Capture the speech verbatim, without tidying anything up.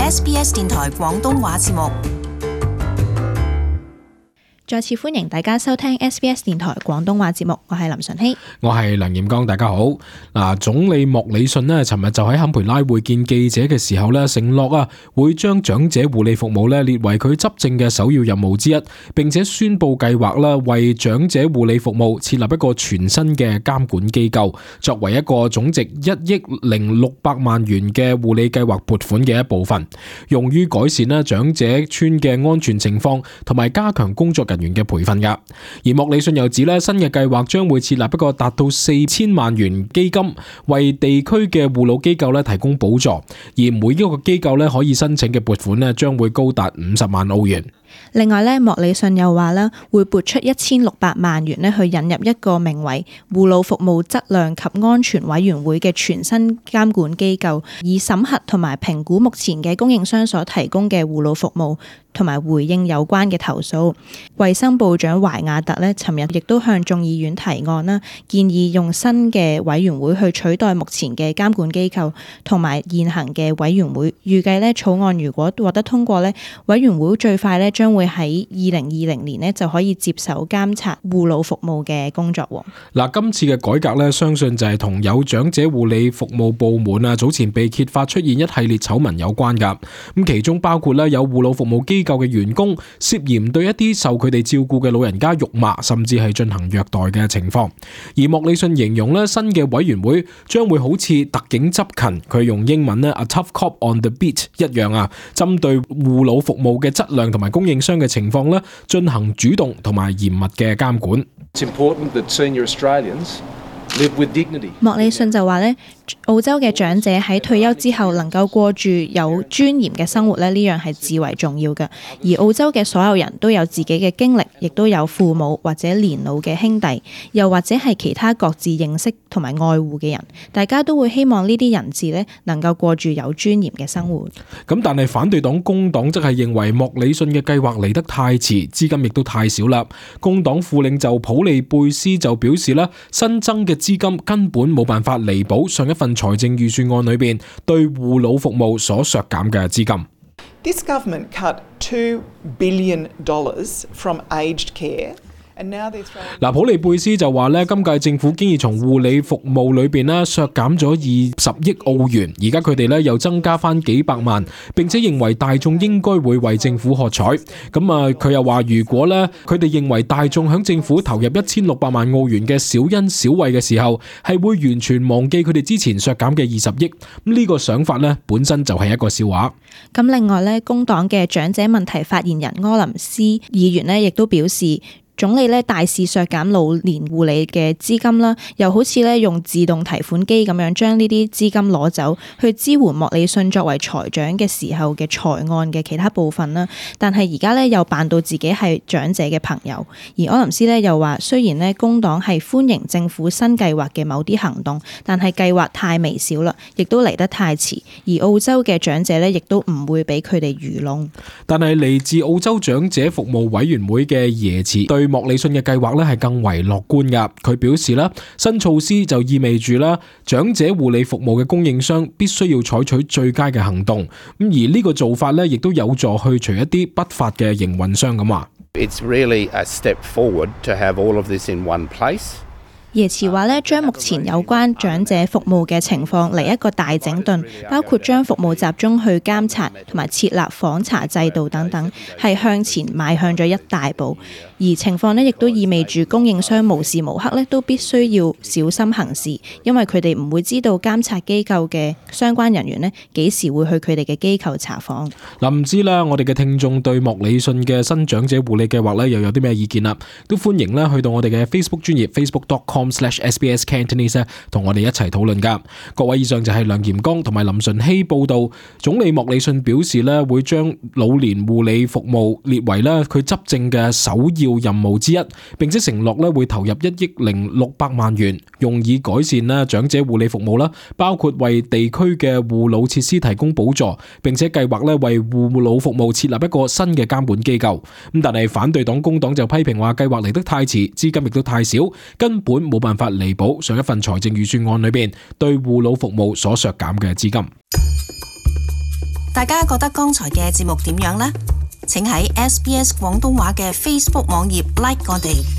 S B S 電台廣東話節目。再次歡迎大家收聽 S B S 電台廣東話節目，我係林純希，我係梁炎剛，大家好。嗱，總理莫里遜呢，尋日就喺坎培拉會見記者嘅時候呢，承諾啊會將長者護理服務呢列為佢執政嘅首要任務之一，並且宣布計劃啦為長者護理服務設立一個全新嘅監管機構，作為一個總值一億零六百萬元嘅護理計劃撥款嘅一部分，用於改善呢長者村嘅安全情況同埋加強工作人員嘅培訓噶。而莫里遜又指咧，新嘅計劃將會設立一個達到四千萬元基金，為地區嘅護老機構咧提供補助，而每一個機構咧可以申請嘅撥款咧將會高達五十萬澳元。另外咧，莫里遜又話咧會撥出一千六百萬元咧去引入一個名為護老服務質量及安全委員會嘅全新監管機構，以審核同埋評估目前嘅供應商所提供嘅護老服務，同埋回應有關嘅投訴。衛生部長懷亞特咧，尋日亦都向眾議院提案啦，建議用新嘅委員會去取代目前嘅監管機構同埋現行嘅委員會。預計咧草案如果獲得通過咧，委員會最快咧將會喺二零二零年咧就可以接手監察護老服務嘅工作。嗱，今次嘅改革咧，相信就係同有長者護理服務部門啊早前被揭發出現一系列醜聞有關噶。咁其中包括咧有護老服務機構嘅員工涉嫌對一啲受佢哋照顧嘅老人家辱罵，甚至係進行虐待嘅情況。而莫里遜形容咧新嘅委員會將會好似特警執勤，佢用英文咧 A tough cop on the beat 一樣啊，針對護老服務嘅質量同埋供應商嘅情況咧進行主動同埋嚴密嘅監管。It's important that senior Australians live with dignity. 莫里遜就話咧，澳洲嘅長者喺退休之後能夠過住有尊嚴嘅生活咧，呢樣係至為重要嘅。而澳洲嘅所有人都有自己嘅經歷，亦都有父母或者年老嘅兄弟，又或者係其他各自認識同埋愛護嘅人，大家都會希望呢啲人士咧能夠過住有尊嚴嘅生活。咁但係反對黨工黨則係認為莫里遜嘅計劃嚟得太遲，資金亦都太少啦。工黨副領袖普利貝斯就表示啦，新增嘅資金根本冇辦法彌補上一份財政預算案裏邊對護老服務所削減嘅資金。This government cut two billion dollars from aged care.嗱，普利貝斯就話咧，今屆政府經已從護理服務裏邊咧削減咗二十億澳元，而家佢哋咧又增加翻幾百萬，並且認為大眾應該會為政府喝彩。咁啊，佢又話如果咧佢哋認為大眾響政府投入一千六百萬澳元嘅小恩小惠嘅時候，係會完全忘記佢哋之前削減嘅二十億。咁呢個想法咧本身就係一個笑話。咁另外咧，工黨嘅長者問題發言人柯林斯議員咧，亦都表示，總理咧大肆削減老年護理嘅資金啦，又好似咧用自動提款機咁樣將呢啲資金攞走，去支援莫里遜作為財長嘅時候嘅財案嘅其他部分啦。但係而家咧又扮到自己係長者嘅朋友。而柯林斯咧又話，雖然咧工黨係歡迎政府新計劃嘅某啲行動，但係計劃太微小啦，亦都嚟得太遲。而澳洲嘅長者咧亦都唔會俾佢哋愚弄。但係嚟自澳洲長者服務委員會嘅耶茨對莫里遜嘅計劃咧係更為樂觀噶。佢表示啦，新措施就意味住啦，長者護理服務嘅供應商必須要採取最佳嘅行動。咁而呢個做法咧，亦都有助去除一啲不法嘅營運商咁話。It's really a step forward to have all of this in one place. 耶茨話咧，將目前有關長者服務嘅情況嚟一個大整頓，包括將服務集中去監察同埋設立訪查制度等等，係向前邁向咗一大步。而情況呢，亦都意味住供應商無時無刻咧都必須要小心行事，因為佢哋唔會知道監察機構嘅相關人員呢幾時會去佢哋嘅機構查訪。嗱，唔知啦，我哋嘅聽眾對莫里遜嘅新長者護理計劃咧又有啲咩意見啦？都歡迎咧去到我哋嘅 Facebook 專頁 facebook dot com slash S B S Cantonese 同我哋一齊討論噶。各位，以上就係梁炎剛同埋林順希報道。總理莫里遜表示咧會將老年護理服務列為咧佢執政嘅首要任務之一，並且承諾咧會投入一億零六百萬元，用以改善咧長者護理服務啦，包括為地區嘅護老設施提供補助，並且計劃咧為護老服務設立一個新嘅監管機構。咁但係反對黨工黨就批評話計劃嚟得太遲，資金亦都太少，根本冇辦法彌補上一份財政預算案裏邊對護老服務所削減嘅資金。大家覺得剛才嘅節目點樣呢？請喺 S B S 廣東話嘅 Facebook 網頁 like 我哋。